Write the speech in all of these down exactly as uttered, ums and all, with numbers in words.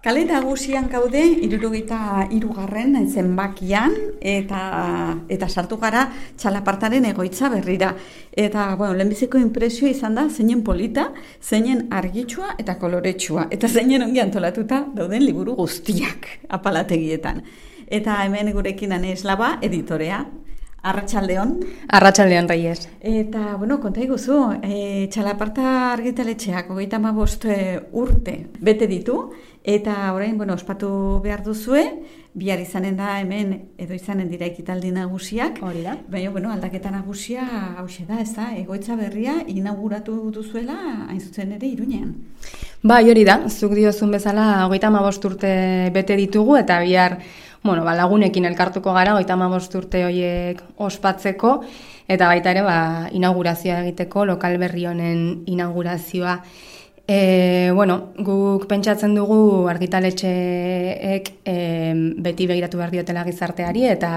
Kale nagusian gaude, hirurogeita hirugarren zenbakian, eta eta sartu gara txalapartaren egoitza berrira. Eta, bueno, lehenbiziko inpresioa izan da, zeinen polita, zeinen argitsua eta koloretsua. Eta zeinen ongi antolatuta dauden liburu guztiak apalategietan. Eta hemen gurekin Ane Eslaba, editorea. Arratsaldeon. Arratsaldeon, Reyes. Eta, bueno, konta iguzu, e, txalaparta argitaletxeak hogeita hamabost urte bete ditu, eta orain, bueno, ospatu behar duzue, bihar izanen da hemen, edo izanen dira ekitaldi nagusiak. Hori da. Baina, bueno, aldaketa nagusia hauxe da, ez da, egoitza berria inauguratu duzuela, hain zuzen ere, Iruñean. Bai, hori da, zuk diozun bezala, hogeita hamabost urte bete ditugu, eta bihar, bueno, ba, lagunekin elkartuko gara, hogeita hamabost urte horiek ospatzeko, eta baita ere, ba, inaugurazioa egiteko, lokal berri honen inaugurazioa. E, bueno, guk pentsatzen dugu argitaletxeek e, beti begiratu behar diotela gizarteari, eta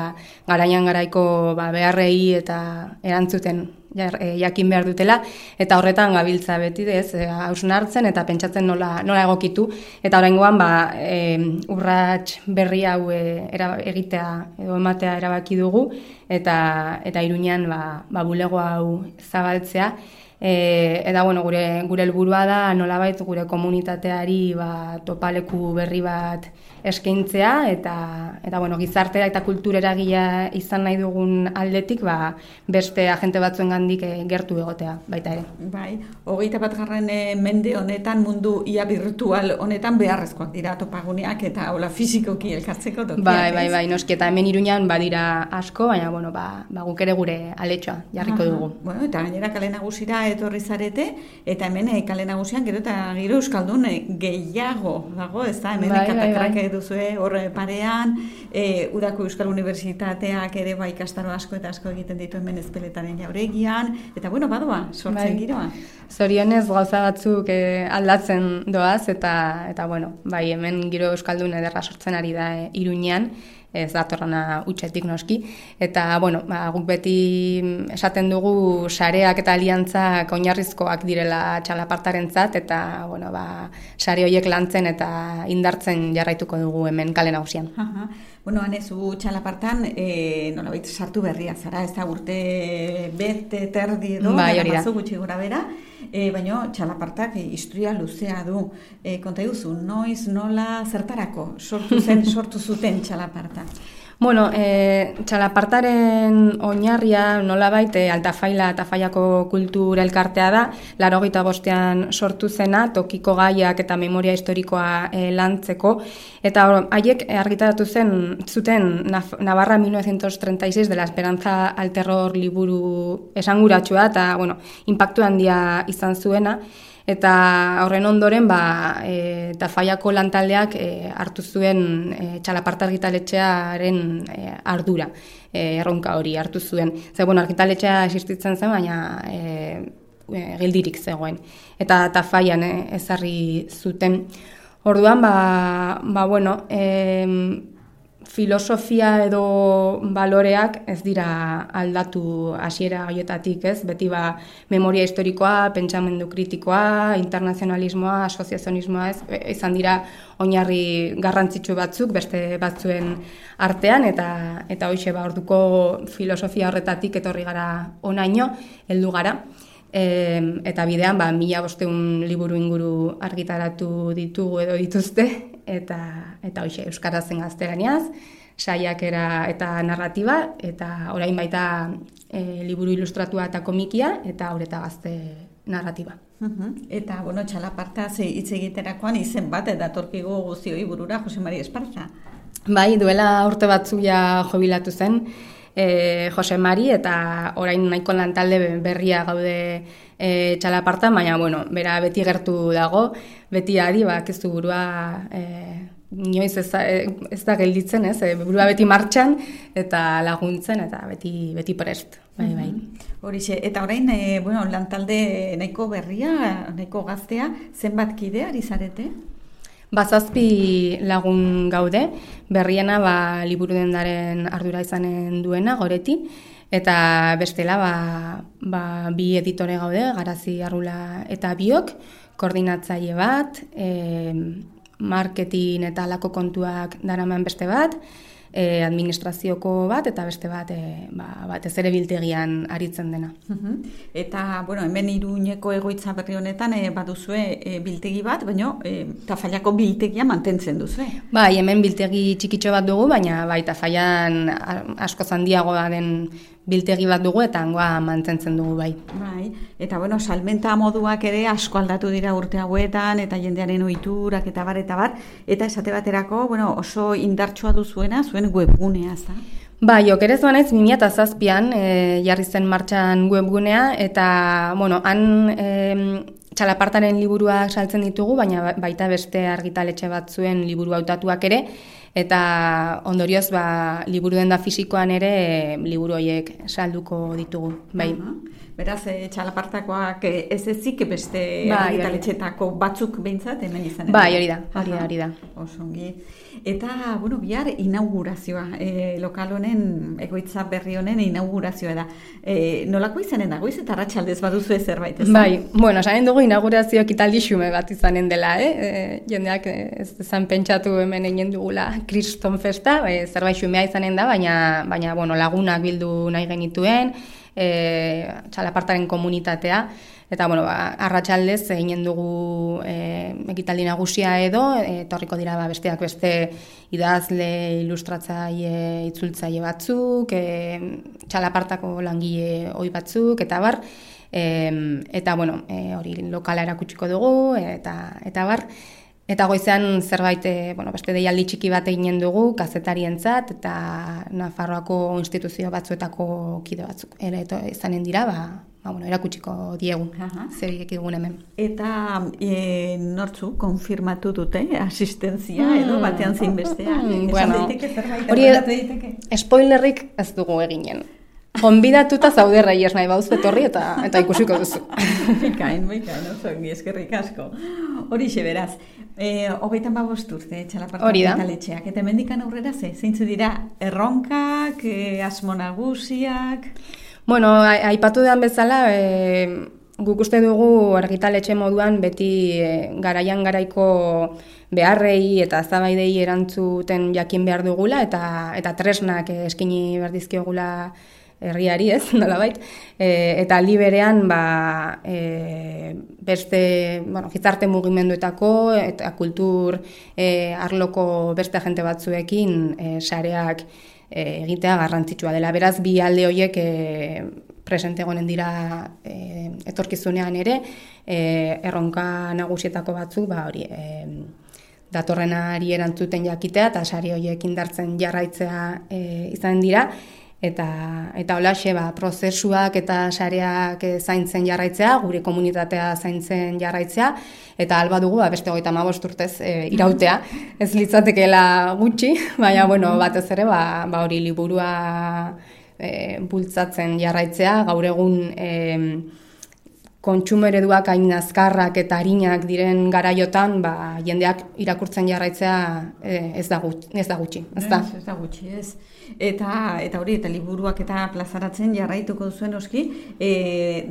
garaian garaiko ba, beharrei eta erantzuten jakin behar dutela, eta horretan gabiltza beti dez, hausnartzen eta pentsatzen nola, nola egokitu, eta oraingoan ba, e, urrats berri hau e, era, egitea edo ematea erabaki dugu, eta, eta Iruñean ba, ba, bulego hau zabaltzea. E, eta bueno, gure gure helburua da nolabait gure komunitateari ba, topaleku berri bat eskaintzea eta eta bueno, gizartera eta kultureragilea izan nahi dugun aldetik ba, beste agente batzuengandik e, gertu egotea baita ere. Bai, hogeita batgarren mende honetan, mundu ia virtual honetan beharrezkoak dira topaguneak eta hola fisikoki elkartzeko tokiak. Bai, bai, bai, noski eta hemen Iruñan badira asko, baina bueno, ba, ba guk ere gure aletxoa jarriko Aha. dugu. Bueno, eta gainera kale nagusira etorri zarete, eta hemen e, kale nagusian gero eta giro euskaldun e, gehiago dago, ez da, hemen bai, katakrak bai, bai. duzue horre parean, e, Udako Euskal Unibertsitateak ere bai ikastaro asko eta asko egiten ditu hemen Ezpeletaren jauregian, eta bueno, badoa, sortzen bai. giroa. Zorionez gauza batzuk e, aldatzen doaz, eta, eta bueno, bai, hemen giro euskaldun ederra sortzen ari da e, Iruñean, ez datorrana utxetik noski, eta bueno, ba, guk beti esaten dugu sareak eta aliantzak oinarrizkoak direla txalapartarentzat, eta bueno, ba, sare horiek lantzen eta indartzen jarraituko dugu hemen kale nagusian. Aha. Bueno, Anezu txalapartan e, nolabait sartu berria zara, ez da urte bete terdi edo, bai, hori da. gutxi gora bera, e, baina txalapartak e, historia luzea du. E, konta duzu, noiz, nola, zertarako sortu zen, sortu zuten txalaparta? Bueno, e, txalapartaren oinarria nolabait e, Altafaila Altafaiako kultura elkartea da, laurogeita bostean sortu zena, tokiko gaiak eta memoria historikoa e, lantzeko, eta haiek argitaratu zen zuten Navarra mil novecientos treinta y seis de la Esperanza al Terror liburu esanguratsua eta bueno, inpaktu handia izan zuena. Eta horren ondoren, ba, e, Tafaiako lantaldeak e, hartu zuen e, txalaparta argitaletxearen e, ardura, e, erronka hori hartu zuen. Ze, bueno, argitaletxea existitzen zen, baina e, e, geldirik zegoen. Eta Tafaian e, ezarri zuten. Orduan, ba, ba bueno, e, filosofia edo baloreak ez dira aldatu hasiera horietatik, ez? Beti ba memoria historikoa, pentsamendu kritikoa, internazionalismoa, asoziazionismoa, ez? Izan dira oinarri garrantzitsu batzuk beste batzuen artean eta eta hoixe ba orduko filosofia horretatik etorri gara honaino heldu gara. E, eta bidean ba mila bostehun liburu inguru argitaratu ditugu edo dituzte eta eta hoixe euskarazen gaztelaniaz, saiakera eta narratiba eta orain baita e, liburu ilustratua eta komikia eta Haur eta Gazte narratiba. Uh-huh. Eta bueno, txalaparta hitz egiterakoan izen bat datorkigu guztioi burura Jose Mari Esparza. Bai, duela urte batzuk ja jubilatu zen. E, Jose Mari eta orain nahiko lantalde berria gaude e, txalapartan, baina bueno, bera beti gertu dago, beti adi, bak ez du burua e, inoiz ez da, ez da gelditzen, ez, e, burua beti martxan eta laguntzen eta beti beti prest. Bai, bai. Horixe, eta orain e, bueno, lantalde nahiko berria, nahiko gaztea, zenbat kide ari zarete? Bazazpi lagun gaude, berriena ba, liburu dendaren ardura izanen duena, Goreti, eta bestela ba, ba, bi editore gaude, Garazi Arrula eta biok, koordinatzaile bat, e, marketing eta alako kontuak daraman beste bat, e, administrazioko bat eta beste bat, e, ba, batez ere biltegian aritzen dena. Uh-huh. Eta, bueno, hemen Iruñeko egoitza berri honetan e, baduzue e, biltegi bat, baina e, Tafallako biltegia mantentzen duzue. Bai, hemen biltegi txikitxo bat dugu, baina bai, Tafallan asko handiagoa den biltegi bat dugu eta hangoa mantentzen dugu bai. Bai, eta bueno, salmenta moduak ere asko aldatu dira urte hauetan eta jendearen ohiturak eta bar eta bar, eta esate baterako, bueno, oso indartsua duzuena zuen webgunea, za? Bai, okerez banaiz bi mila zazpian e, jarri zen martxan webgunea eta, bueno, han e, txalapartaren liburuak saltzen ditugu, baina baita beste argitaletxe batzuen liburu hautatuak ere, eta ondorioz ba, liburu denda fisikoan ere e, liburu horiek salduko ditugu. Bai. Uh-huh. Beraz, e, txalapartakoak ez ezik beste bai, argitaletxetako batzuk behintzat hemen izan. Bai, hori da, hori da, hori da. Osongi. Eta, bueno, bihar inaugurazioa, e, lokal honen, egoitza berri honen inaugurazioa da. E, nolako izanen da, goiz eta arratsaldez baduzu zerbait, ez? Bai, bueno, esanen dugu inaugurazio ekitaldi xume bat izanen dela, eh? E, jendeak ez dezan pentsatu hemen egin dugula kriston festa, e, zerbait xumea izanen da, baina, baina bueno, lagunak bildu nahi genituen, e, txalapartaren komunitatea, eta bueno, ba, arratsaldez eginen dugu e, ekitaldi nagusia edo, etorriko dira ba, besteak beste idazle, ilustratzaile, itzultzaile batzuk, e, txalapartako langile ohi batzuk, eta bar, e, eta bueno, e, hori lokala erakutsiko dugu, eta, eta bar, eta goizean zerbait, e, bueno, beste deialdi txiki bat eginen dugu, kazetarientzat, eta Nafarroako instituzio batzuetako kide batzuk ere izanen dira, ba, ba, bueno, erakutsiko diegu, zer ekidugun hemen. Eta e, nortzu konfirmatu dute asistentzia mm, edo batean zein bestea? Mm, bueno, hori spoilerrik ez dugu eginen. Konbidatuta zaude Reyes nahi bauz etorri eta eta ikusiko duzu. Bikain, bikain, oso ongi, eskerrik asko. Horixe beraz, e, hogeita hamabost urte txalaparta argitaletxeak, eta hemendikan aurrera ze, zeintzu dira erronkak, e, asmo nagusiak? Bueno, aipatu den bezala, e, guk uste dugu argitaletxe moduan beti e, garaian garaiko beharrei eta zabaidei erantzuten jakin behar dugula eta eta tresnak eskaini behar dizkiogula herriari, ez, nolabait, e, eta aldi berean ba, e, beste, bueno, gizarte mugimenduetako eta kultur e, arloko beste agente batzuekin e, sareak e, egitea garrantzitsua dela. Beraz, bi alde horiek e, presente egonen dira e, etorkizunean ere, e, erronka nagusietako batzuk, ba hori, e, datorrenari erantzuten jakitea eta sare horiek indartzen jarraitzea e, izan dira. Eta, eta holaxe, ba, prozesuak eta sareak zaintzen jarraitzea, gure komunitatea zaintzen jarraitzea, eta alba dugu, ba, beste hogeita hamabost urtez e, irautea, ez litzatekeela gutxi, baina, bueno, batez ere, ba, ba hori liburua e, bultzatzen jarraitzea, gaur egun e, kontsumo ereduak hain azkarrak eta arinak diren garaiotan, ba, jendeak irakurtzen jarraitzea e, ez da gutxi, ez da gutxi, ez da? Ez da gutxi, ez. Eta, eta hori, eta liburuak eta plazaratzen jarraituko duzuen oski, e,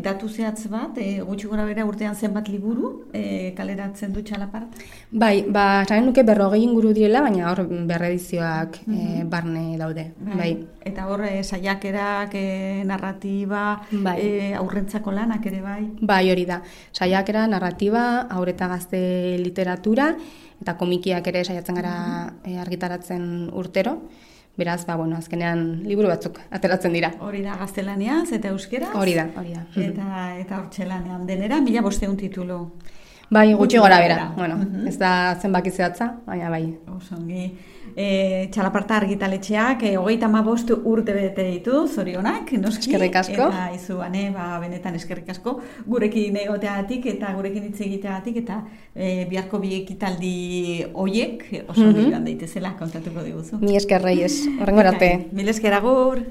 datu zehatz bat, e, gutxi gora bera urtean zenbat liburu e, kaleratzen du txalaparta? Bai, ba, zaren nuke berrogei inguru direla, baina hor berredizioak mm-hmm. e, barne daude. Bai. Bai. Eta hor, e, saiakerak, e, narratiba, bai. e, aurrentzako lanak ere bai? Bai, hori da. Saiakera, narratiba, haur eta gazte literatura, eta komikiak ere saiatzen gara e, argitaratzen urtero. Beraz, ba, bueno, azkenean liburu batzuk ateratzen dira. Hori da, gaztelaniaz eta euskeraz? Hori da, hori da. Eta, eta hortxelanean denera, mila bosteun titulu. Bai, gutxi gora bera. Bueno, uh-huh. Ez da zenbaki zehatza, baina bai. Osongi. E, txalaparta argitaletxeak, e, hogeita hamabost urte bete ditu, zorionak, noski. Eskerrik asko. Eta izu, ane, ba, benetan eskerrik asko, gurekin egoteagatik eta gurekin hitz egiteagatik, eta e, biharko bi ekitaldi hoiek oso mm-hmm. joan daitezela kontatuko diguzu. Mi esker Reyes, horrengo arte. Mil esker agur.